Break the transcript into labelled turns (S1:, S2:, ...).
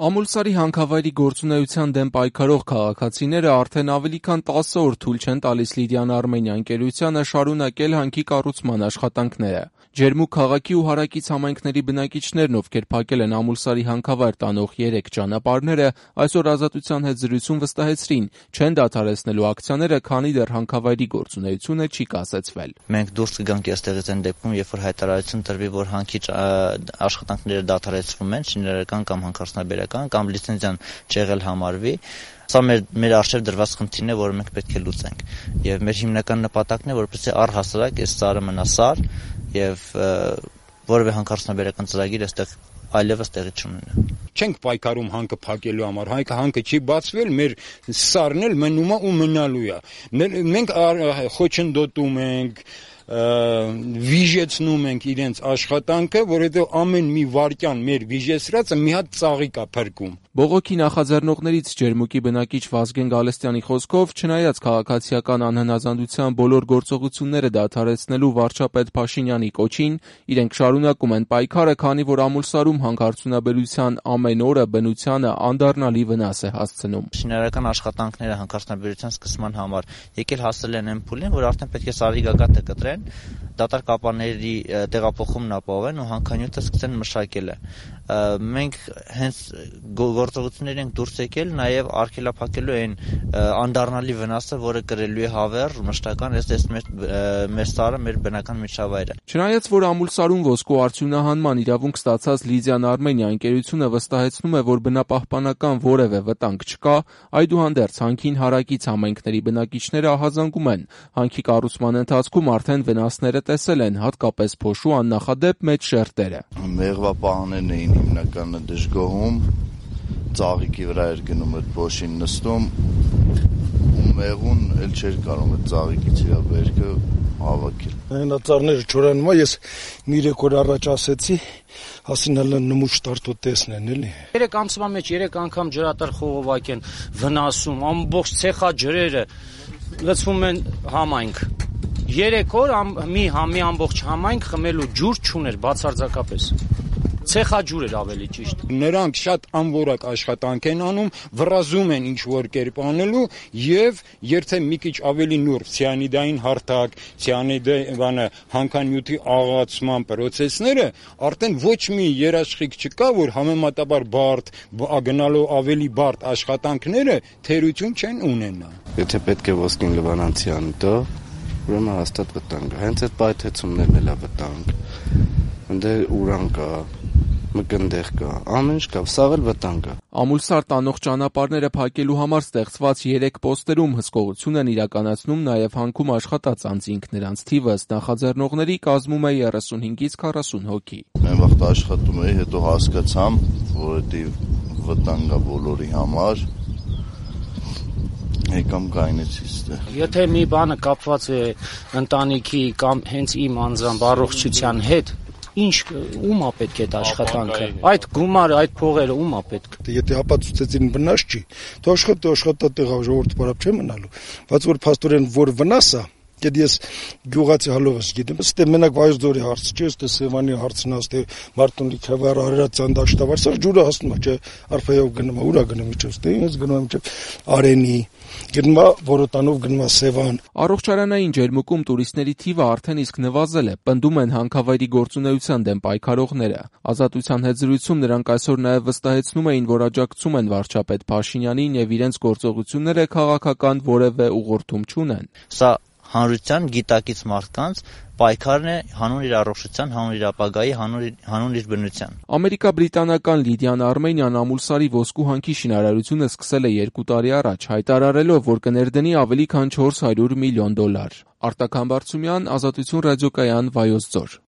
S1: Ամուլսարի հանքավայրի գործունեության դեմ պայքարող քաղաքացիները արդեն ավելի քան 10 օր թույլ չեն տալիս Լիդիան Արմենիա ընկերությանը շարունակել հանքի կառուցման աշխատանքները։ Ջերմուկ քաղաքի ու հարակից համայնքների բնակիչներն, ովքեր փակել են Ամուլսարի հանքավայր տանող 3 ճանապարհները, այսօր Ազատության հետ զրույցում վստահեցրին, չեն դադարեցնելու ակցիաները, քանի դեռ հանքավայրի գործունեությունը չի կասեցվել։
S2: Մենք դուրս կգանք այստեղից այն դեպքում, երբ որ հայտարարություն տրվի, որ հանքի աշխատանքները դադարեցվում են, շինարարական կամ հանքարդյունաբերական կամ լիցենզիան չեղել համարվի, սա մեր առջև դրված խնդիրն է, որը մենք պետք է լուծենք։ Եվ մեր հիմնական նպատակն է, որպեսզի առհասարակ այս սարը մնա սար եւ որևէ հանքարդյունաբերական ծրագիր այստեղ այլևս տեղի չունենա։
S3: Չենք պայքարում հանքը փակելու համար, հանքը չի բացվել, մեր սարն էլ մնում է ու մնալու է։ Մենք խոչընդոտում ենք, վիժեցնում ենք իրենց աշխատանքը, որովհետեւ ամեն մի վարքյան մեր վիժեցրածը մի հատ ծաղիկ է փրկում։
S1: Բողոքի նախաձեռնողներից Ջերմուկի բնակիչ Վազգեն Գալստյանի խոսքով, չնայած քաղաքացիական անհնազանդության բոլոր գործողությունները դադարեցնելու վարչապետ Փաշինյանի կոչին, իրենք շարունակում են պայքարը, քանի որ Ամուլսարում հանքարդյունաբերության ամեն օրը բնությանը անդառնալի վնաս է հասցնում։
S2: Շինարարական աշխատանքները հանքարդյունաբերության սկսման համար եկել հասել են այն փուլին, որ արդեն պետք է սարի գագաթը կտրեն, դատարկ ապարների տեղափոխումն ապահովեն ու հանքանյութը սկսեն մշակելը։ Մենք հենց գործողություններ ենք դուրս եկել նաև արգելափակելու այն անդառնալի վնասը, որը կրելու է հավեր մշտական այս մեր սարը, մեր բնական միջավայրը։
S1: Չնայած որ Ամուլսարում ոսկու արդյունահանման իրավունք ստացած Լիդիան Արմենիա ընկերությունը վստահեցնում է, որ բնապահպանական որևէ վտանգ չկա, այդուհանդերձ հանքին հարակից համայնքների բնակիչները ահազանգում են։ Հանքի կառուցման ընթացքում արդեն վնասները տեսել են, հատկապես փոշու աննախադեպ մեծ շերտերը։
S4: Մեղվապահներն էին հիմնականը դժգոհում, ծաղիկի վրա էր գնում այդ փոշին նստում, ու մեղուն էլ չէր կարող այդ ծաղիկից իր վերքը հավաքել։
S5: Այնածառները չորանում է, ես մի 3 օր առաջ ասեցի, հասինալը նմուշ տարտո տեսնեն, էլի։
S6: 3 ամսվա մեջ 3 անգամ ջրատար խողովակ են վնասում, ամբողջ ցեխաջրերը լցվում են համայնք։ 3 օր մի ամբողջ համայնք խմելու ջուր չուներ բացարձակապես։ Ցեխաջուր էր ավելի ճիշտ։
S3: Նրանք շատ անորակ աշխատանք են անում, վռազում են ինչ որ կերպ անելու եւ երթե մի քիչ ավելի նուրբ ցիանիդային հարթակ, հանքանյութի աղացման process-ները արդեն ոչ մի երաշխիք չկա, որ համեմատաբար բարդ, գնալու ավելի բարդ աշխատանքները թերություն չեն ունենա։
S4: Եթե պետք է ոսկին լվանանցի անիտո, ուրեմն հաստատ վտանգ է։ Հենց այդ պայթեցումներն էլ է վտանգ։ Ընդ ուրան կա, մկնդեղ կա, ամեն ինչ կա, սաղ էլ վտանգ է։
S1: Ամուլսար տանող ճանապարհները փակելու համար ստեղծված 3 պոստերում հսկողություն են իրականացնում նաև հանքում աշխատած անձինք, նրանց թիվը նախաձեռնողների կազմում է 35-ից 40 հոգի։
S4: Մեն վաղտ աշխատում էի, հետո հասկացամ, որ դա վտանգ է բոլորի համար։ Եկամ գայնեցի ստեղ։
S6: Եթե մի բանը կապված է ընտանիքի կամ հենց իմ անձամբ առողջության հետ, ինչ ում է պետք է այդ աշխատանքը։ Այդ գումարը, այդ փողերը ում է պետք։
S5: Եթե ապացուցեցին վնաս չի, то աշխատատեղը ժողովուրդը բարապ չէ մնալու։ Բայց որ փաստորեն որ վնաս է, Եթե ես գյուղացի հալովս գիտեմ, ստե մենակ Վայոց-Ձորի հարց չէ, ստե Սևանի հարցն է, ստե Մարտունի քավար Արարատյան դաշտավար, սա ջուրը հասնում է, չէ, արփայով գնում է, ուրա գնում իջով, ստե ինձ գնում եմ, չէ, Արենի, գնում է Որոտանով գնում է Սևան։
S1: Առողջարանային ջերմուկում տուրիստների թիվը արդեն իսկ նվազել է, պնդում են հանքավայրի գործունեության դեմ պայքարողները։ Ազատության հետ զրույցում նրանք այսօր նաև վստահեցնում էին, որ աջակցում են վարչապետ Փաշինյանին եւ իրենց գործողությունները քաղաքական որևէ ուղղորդում չունեն։
S2: Սա հանրության գիտակից մարդկանց պայքարն է հանուն իր առողջության, հանուն իր ապագայի, հանուն իր բնության։
S1: Ամերիկա-բրիտանական Լիդիան Արմենիան Ամուլսարի ոսկու հանքի շինարարությունը սկսել է 2 տարի առաջ, հայտարարելով, որ կներդնի ավելի քան $400 միլիոն։ Արտակ Համբարձումյան, Ազատություն ռադիոկայան, Վայոց ձոր։